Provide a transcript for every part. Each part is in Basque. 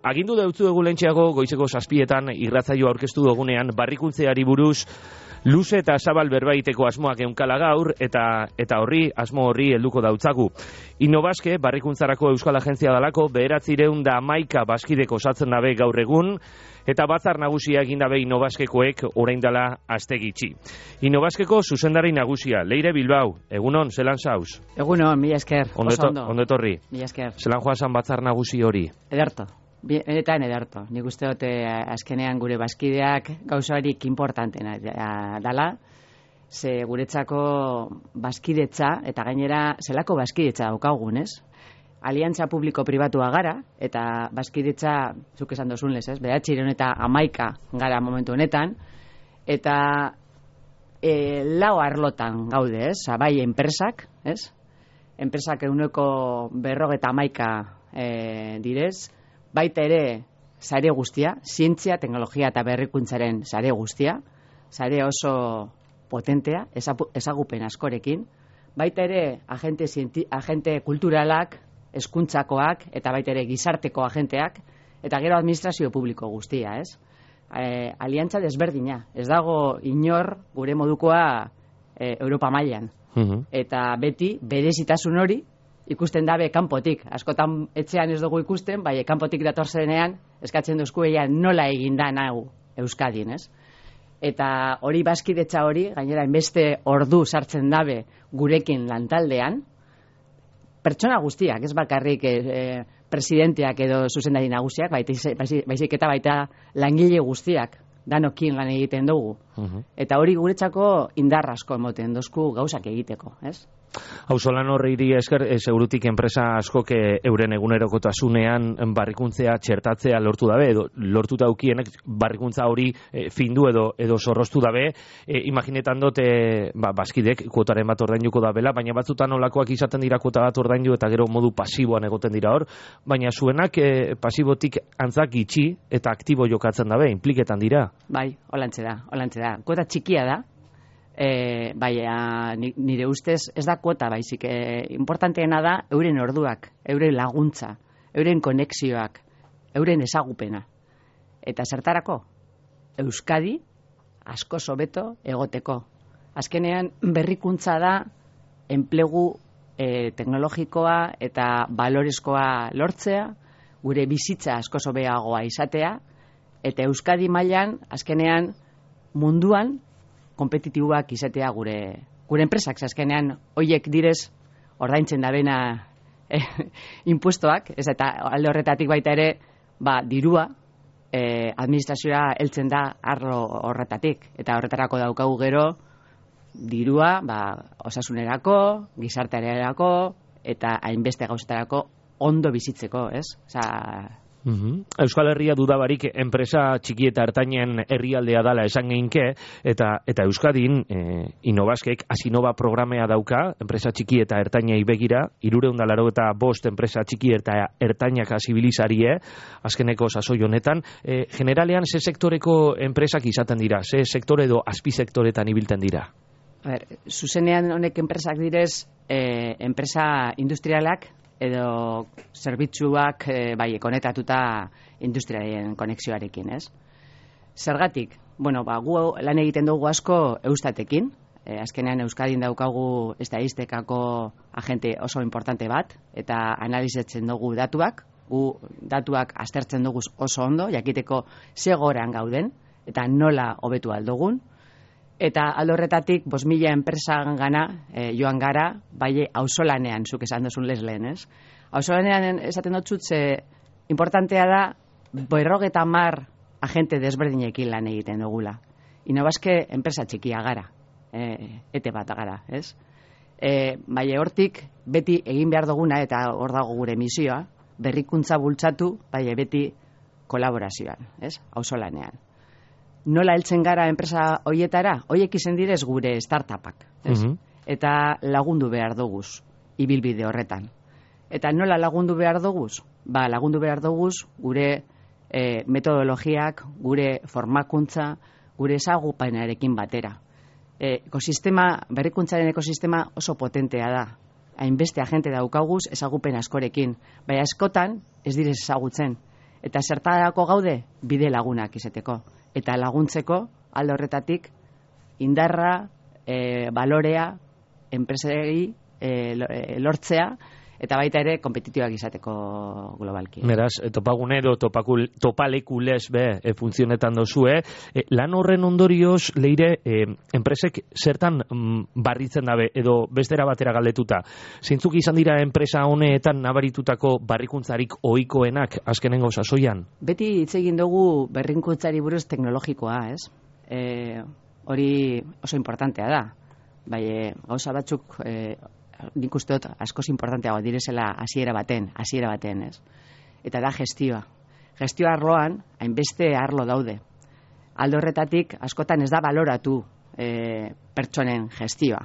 Agindu deutzu egu lentxeago goizeko 7etan irratzaio aurkeztu dugunean barrikuntzeari buruz luze eta zabal berbaiteko asmoak eunkala gaur eta horri asmo horri helduko dautzagu. Innobaske barrikuntzarako Euskal Agentzia dalako 911 baskideko osatzen dabe gaur egun eta batzar nagusia egin dabe Innobaskekoek orain dela aste gitxi. Innobaskeko zuzendari nagusia Leire Bilbao, egunon, zelan zauz? Egunon, mila esker, oso ondo. Ondo etorri. Mila esker. Zelan joazan batzar nagusi hori? Ederto. Benetan ederto. Nik uste dut azkenean gure baskideak gauzarik importantena dala, ze guretzako baskidetza, eta gainera zelako baskidetza daukagun, ez? Aliantza publiko-pribatua gara, eta baskidetza, zuk esan dozun lez, ez? 911 gara momentu honetan, eta lau arlotan gaude, ez? Bai enpresak, ez? Enpresak 151 direz, baita ere sare guztia, zientzia, teknologia eta berrikuntzaren sare guztia, sare oso potentea, ezagupen askorekin, baita ere agente kulturalak, hezkuntzakoak eta baita ere gizarteko agenteak, eta gero administrazio publiko guztia, ez? Aliantza desberdina, ez dago inor gure modukoa Europa mailan. Eta beti berezitasun hori ikusten dabe kanpotik. Askotan etxean ez dugu ikusten, bai kanpotik datorzenean eskatzen duzku nola egin da hau Euskadin, ez? Eta hori baskidetza hori, gainera inbeste ordu sartzen dabe gurekin lantaldean, pertsona guztiak, ez bakarrik presidenteak edo zuzendari nagusiak, baizik eta baita langile guztiak danokin lan egiten dugu. Eta hori guretzako indar asko emoten dozku gauzak egiteko, ez? Auzolan horri esker, segurutik enpresa askok euren egunerokotasunean barrikuntzea txertatzea lortu dabe, edo lortu daukienek barrikuntza hori findu edo zorroztu dabe. Imaginetan dut, baskidek kuotaren bat ordainduko dabela, baina batzutan olakoak izaten dira kuota bat ordaindu eta gero modu pasiboan egoten dira hor, baina zuenak pasibotik antzak gitxi eta aktibo jokatzen dabe, impliketan dira. Bai, holantze da. Kuota txikia da, nire ustez ez da kuota baizik, importanteena da euren orduak, euren laguntza, euren konexioak, euren ezagupena. Eta zertarako? Euskadi asko hobeto egoteko. Azkenean berrikuntza da enplegu teknologikoa eta balorezkoa lortzea, gure bizitza asko hobeagoa izatea, eta Euskadi mailan azkenean munduan kompetitiboak izatea gure enpresak, azkenean hoiek direz ordaintzen dabena impuestoak, ez eta alde horretatik baita ere, dirua administrazioa heltzen da arlo horretatik, eta horretarako daukagu gero dirua osasunerako, gizartearerako eta hainbeste gauzetarako ondo bizitzeko, ez? Euskal Herria dudabarik enpresa txiki eta ertainen herrialdea dala esan geinke, eta Euskadin Innobaskek Asinova programea dauka, enpresa txiki eta ertainei begira, 385 enpresa txiki eta ertainak zibilizarie, azkeneko sasoi honetan. Generalean, ze sektoreko enpresak izaten dira? Ze sektore edo azpisektoretan ibilten dira? Zuzenean honek enpresak direz, enpresa industrialak, edo zerbitzuak konetatuta industriaren konexioarekin, ez? Zergatik? Gu lan egiten dugu asko Eustatekin, azkenean Euskadin daukagu estatistikako agente oso importante bat, eta analizatzen dugu datuak, gu datuak aztertzen dugu oso ondo, jakiteko ze goran gauden, eta nola hobetu aldugun, eta aldo horretatik 5.000 enpresan gana joan gara, bai auzolanean, zuk esan duzun lehen, ez? Auzolanean esaten dut ze importantea da 50 agente desberdinekin lan egiten dugula. Innobaske enpresa txikia gara, ete bat gara, ez? Bai hortik beti egin behar duguna, eta hor dago gure misioa, berrikuntza bultzatu, bai beti kolaborazioan, ez? Auzolanean. Nola heltzen gara enpresa hoietara? Hoiek izen direz gure startupak, ez? Eta lagundu behar duguz, ibilbide horretan. Eta nola lagundu behar duguz? Lagundu behar duguz gure metodologiak, gure formakuntza, gure ezagupenarekin batera. Berrikuntzaren ekosistema oso potentea da. Hainbeste agente daukaguz ezagupen askorekin. Baina askotan ez direz ezagutzen. Eta zertarako gaude bide lagunak izateko. Eta laguntzeko alde horretatik indarra, balorea, enpresei lortzea, eta baita ere kompetitibak izateko globalki. Beraz, topagune edo topalekulez funtzionetan dozue. Lan horren ondorioz, Leire, enpresek zertan barritzen dabe, edo bestera batera galdetuta. Zeintzuk izan dira enpresa honeetan nabaritutako barrikuntzarik ohikoenak azkenengo sasoian? Beti hitz egin dugu berrikuntzari buruz teknologikoa, ez? Hori oso importantea da. Bai, gauza batzuk nik uste dut askoz importanteago direzela hasiera baten, ez? Eta da gestioa. Gestioa arloan, hainbeste arlo daude. Alde horretatik, askotan ez da baloratu pertsonen gestioa.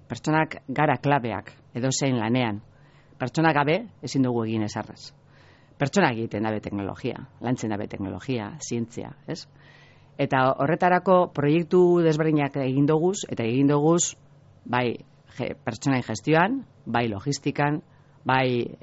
Pertsonak gara klabeak, edozein lanean. Pertsonak gabe, ezin dugu egin ezarrez. Pertsonak egiten dabe teknologia, lantzen dabe teknologia, zientzia, ez? Eta horretarako proiektu desberdinak egin doguz, eta egin doguz, bai, pertsonain gestioan, bai logistikan, bai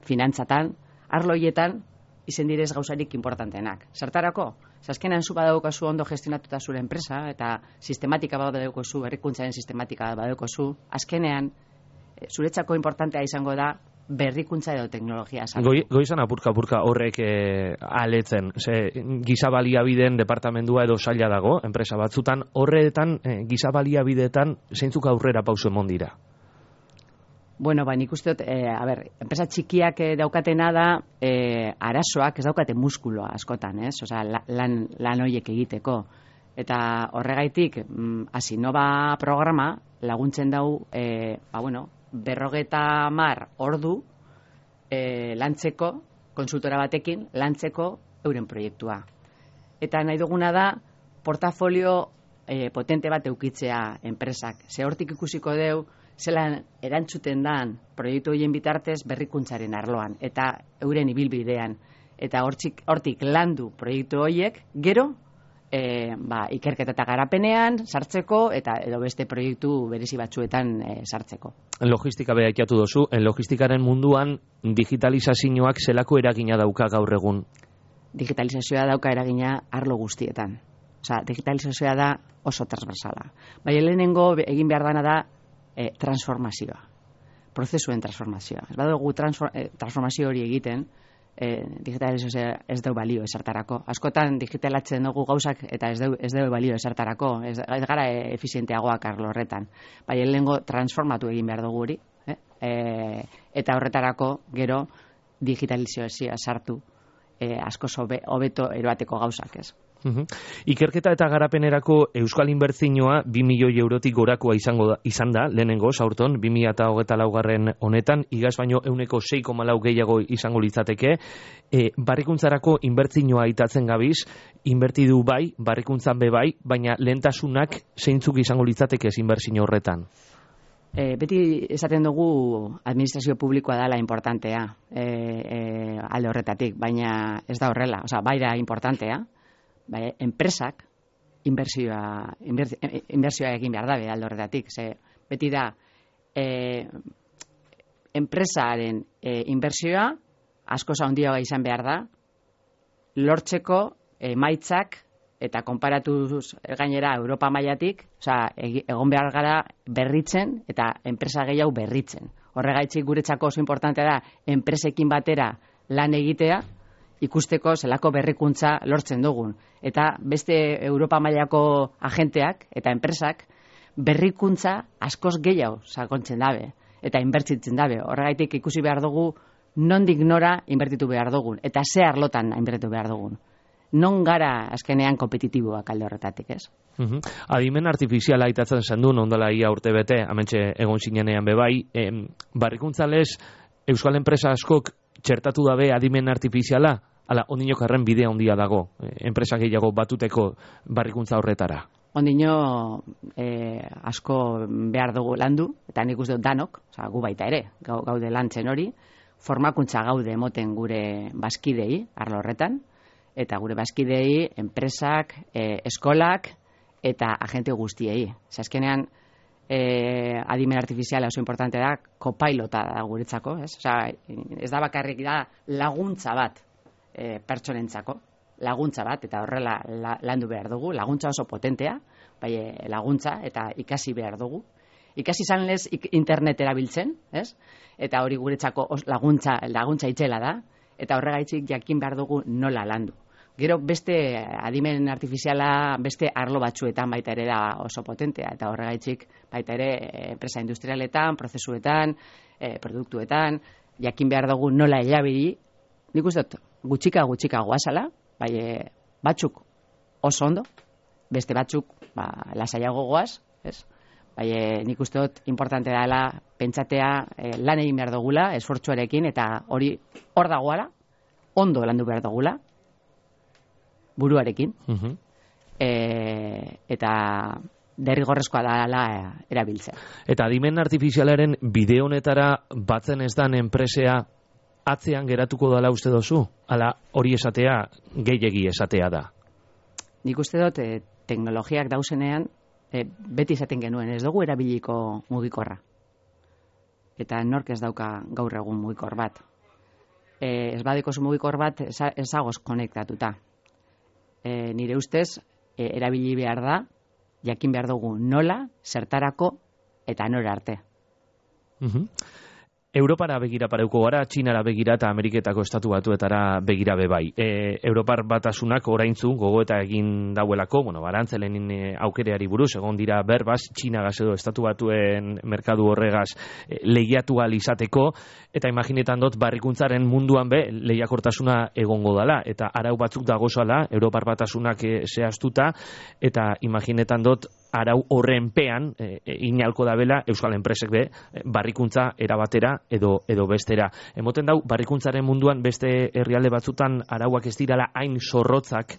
finantzatan, arlo hietan izen direz gauzarik importanteenak. Zertarako? Azkenean zu badaukazu ondo gestionatuta zure enpresa, eta sistematika badaukazu, berrikuntzaren sistematika badaukazu, azkenean zuretzako importantea izango da berrikuntza edo teknologia. Goizan apurka horrek aletzen. Giza baliabideen departamendua edo saila dago, enpresa batzutan, horretan, giza baliabideetan, zeintzuk aurrera pauso emon dira? Bueno, nik uste dut, enpresa txikiak daukatena da, arazoak ez daukate muskuloa askotan, ez? Osea, lan horiek egiteko. Eta horregaitik, Asinova programa laguntzen dau, 50 ordu lantzeko, konsultora batekin, lantzeko euren proiektua. Eta nahi duguna da, portafolio potente bat eukitzea enpresak. Ze hortik ikusiko deu, zelan erantzuten dan proiektu horien bitartez berrikuntzaren arloan, eta euren ibilbidean. Eta hortik landu proiektu horiek, gero, ikerketa eta garapenean sartzeko eta edo beste proiektu berezi batzuetan sartzeko. Logistika beha ikiatu dozu, logistikaren munduan digitalizazioak zelako eragina dauka gaur egun? Digitalizazioa dauka eragina arlo guztietan. Osea, digitalizazioa da oso transversala. Bai, lehenengo egin behar dana da transformazioa. Prozesuen transformazioa. Ez badugu transformazio hori egiten, digitalizazioa ez dau balio ezertarako. Askotan digitalatzen dugu gauzak eta ez dau balio ezertarako. Ez gara efizienteagoak arlo horretan. Bai, lehenengo transformatu egin behar dugu hori. Eta horretarako gero digitalizazioa sartu askoz hobeto eroateko gauzak, ez? Ikerketa eta garapenerako euskal inbertsioa 2 milioi eurotik gorakoa izan da, lehenengo, saurton, 2024 honetan, igaz baino 6,4 gehiago izango litzateke. Barrikuntzarako inbertsioa itatzen gabiz, inbertidu bai, barrikuntzan be bai, baina lehentasunak zeintzuk izango litzateke inbertsio horretan? Beti esaten dugu administrazio publikoa dela importantea alde horretatik, baina ez da horrela, bai da importantea, bai, enpresak inbertsioa egin behar dabe alde horretatik. Beti da enpresaren inbertsioa askoz handiagoa izan behar da lortzeko emaitzak eta konparatuz gainera Europa mailatik, egon behar gara berritzen eta enpresa gehiago berritzen. Horregaitzik guretzako oso importantea da enpresekin batera lan egitea, ikusteko zelako berrikuntza lortzen dugun. Eta beste Europa mailako agenteak eta enpresak berrikuntza askoz gehiago sakontzen dabe eta inbertitzen dabe. Horregaitik ikusi behar dugu nondik nora inbertitu behar dugun eta ze arlotan inbertitu behar dugun. Non gara azkenean kompetitiboak alde horretatik, ez? Adimen artifiziala aitatzen zen du, ondala ia urte bete, amentxe egon zinenean bebai, barrikuntzalez euskal enpresa askok txertatu dabe adimen artifiziala, ala, ondinokarren bidea handia dago, enpresa gehiago batuteko barrikuntza horretara. Ondino asko behar dugu landu, eta nik uste dut danok, gu baita ere, gaude lantzen hori, formakuntza gaude emoten gure bazkidei, arlo horretan, eta gure bazkidei, enpresak, eskolak, eta agente guztiei. Azkenean, adimen artifiziala oso importante da, kopailota da guretzako, ez? Ez da bakarrik da laguntza bat pertsonentzako. Laguntza bat, eta horrela landu behar dugu, laguntza oso potentea, bai laguntza, eta ikasi behar dugu. Ikasi izan lez internet erabiltzen, ez? Eta hori guretzako laguntza itzela da, eta horregaitzik jakin behar dugu nola landu. Gero beste adimen artifiziala beste arlo batzuetan baita ere da oso potentea, eta horregaitzik baita ere enpresa industrialetan, prozesuetan, produktuetan, jakin behar dugu nola erabili. Nik uste dut gutxika goazala, bai batzuk oso ondo, beste batzuk lasaiago goaz, ez? Bai nik uste dut importante dela pentsatea lan egin behar dugula, esfortzuarekin, eta hori hor dagoala, ondo landu behar dugula, buruarekin, eta derrigorrezkoa dela erabiltzea. Eta adimen artifizialaren bide honetara batzen ez dan enpresea atzean geratuko dela uste dozu? Ala hori esatea, gehiegi esatea da? Nik uste dut teknologiak dauzenean beti esaten genuen, ez dugu erabiliko mugikorra. Eta nork ez dauka gaur egun mugikor bat. Ez badeko mugikor bat ezagoz konektatuta. Nire ustez, erabili behar da, jakin behar dugu nola, zertarako eta nora arte. Europara begira pareuko gara, Txinara begira eta Ameriketako estatu batuetara begira bebai. Europar batasunak oraintzu gogoeta egin dauelako, barantzelen aukereari buruz, egon dira berbaz, Txinagaz edo estatu batuen merkadu horregaz lehiatu ahal izateko, eta imaginetan dut barrikuntzaren munduan lehiakortasuna egongo dala, eta arau batzuk dagozala, Europar batasunak zehaztuta, eta imaginetan dut arau horrenpean inalko dabela Euskal Enpresek barrikuntza erabatera edo bestera. Emoten dau, barrikuntzaren munduan beste herrialde batzutan arauak ez dirala hain zorrotzak,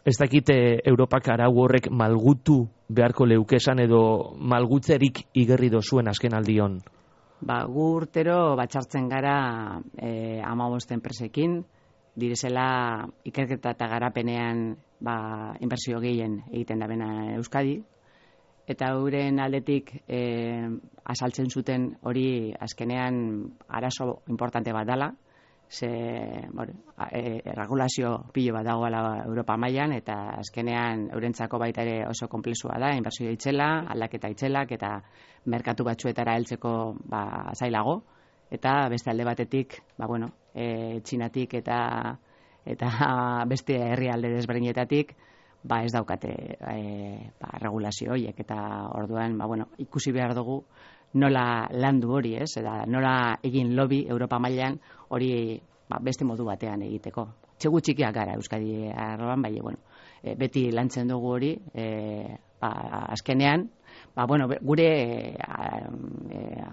ez dakit Europak arau horrek malgutu beharko leukesan edo malgutzerik igerri dozuen azken aldion? Gu urtero batxartzen gara 15 enpresekin, direzela ikerketa eta garapenean inbertsio gehien egiten da bena Euskadi, eta euren aldetik asaltzen zuten hori azkenean arazo importante bat dela, ze regulazio pilo bat dagoela Europa mailan, eta azkenean eurentzako baita ere oso konplexua da, inbertsio itzela, aldaketa itzelak, eta merkatu batzuetara heltzeko zailago, eta beste alde batetik, Txinatik eta beste herrialde desberdinetatik, ez daukate regulazio horiek, eta orduan ikusi behar dugu nola landu hori, eta nola egin lobby Europa mailan hori beste modu batean egiteko. Txegu txikiak gara Euskadi arloan, beti lantzen dugu hori, azkenean, gure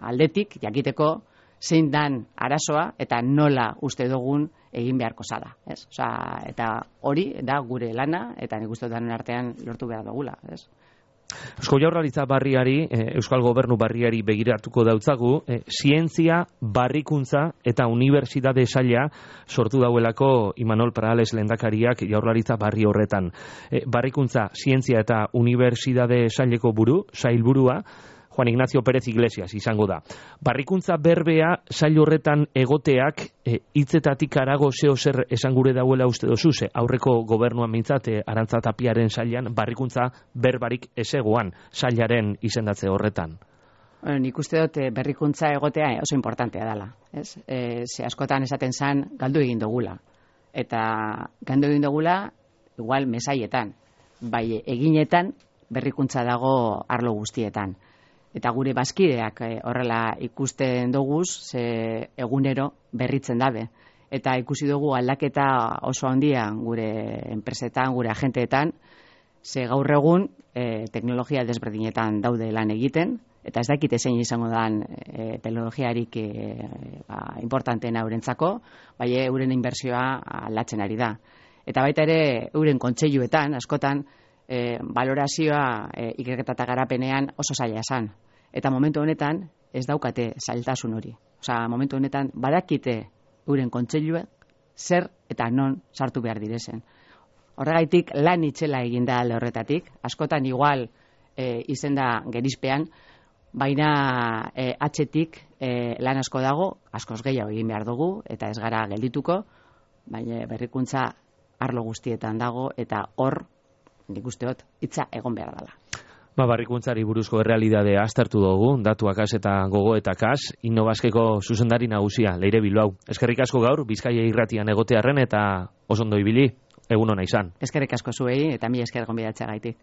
aldetik jakiteko zein dan arazoa eta nola uste dugun egin beharko zala. Eta hori da gure lana, eta nik uste dut artean lortu behar dugula. Eusko Jaurlaritza barriari, Euskal Gobernu barriari begiratuko dautzagu, zientzia, barrikuntza eta unibertsitate saila sortu dauelako Imanol Parales lehendakariak Jaurlaritza barri horretan. Barrikuntza, zientzia eta unibertsitate saileko sailburua, Juan Ignacio Pérez Iglesias izango da. Barrikuntza berbea sail horretan egoteak hitzetatik harago zer esan gure dauela uste dozu, aurreko gobernuan mintzat Arantza Tapiaren sailan barrikuntza berbarik ezegoan sailaren izendatze horretan. Nik uste dut berrikuntza egotea oso importantea dela. Ze askotan esaten zan galdu egin dugula. Eta galdu egin dugula igual mesaietan, bai eginetan berrikuntza dago arlo guztietan. Eta gure bazkideak horrela ikusten doguz, ze egunero berritzen dabe. Eta ikusi dugu aldaketa oso handia gure enpresetan, gure agenteetan, ze gaur egun teknologia desberdinetan daude lan egiten, eta ez dakite zein izango dan teknologiarik importanteena eurentzako, bai euren inbertsioa aldatzen ari da. Eta baita ere euren kontseiluetan, askotan, valorazioa ikerketa eta garapenean oso zaila esan. Eta momentu honetan ez daukate zailtasun hori. Momentu honetan badakite euren kontseilua zer eta non sartu behar direzen. Horregaitik lan itzela eginda alde horretatik, askotan igual izenda gerizpean, baina atzetik lan asko dago, askoz gehiago egin behar dugu, eta ez gara geldituko, baina berrikuntza arlo guztietan dago, eta hor, nik usteot, hitza egon behar dela. Barrikuntzari buruzko errealidadea aztertu dugu, datuakaz eta gogoetakaz, Innobasqueko zuzendari nagusia, Leire Bilbao. Eskerrik asko gaur, Bizkaia irratian egotearren eta oso ondo ibili, egun ona izan. Eskerrik asko zuei, eta mi esker gonbidatzea gaitik.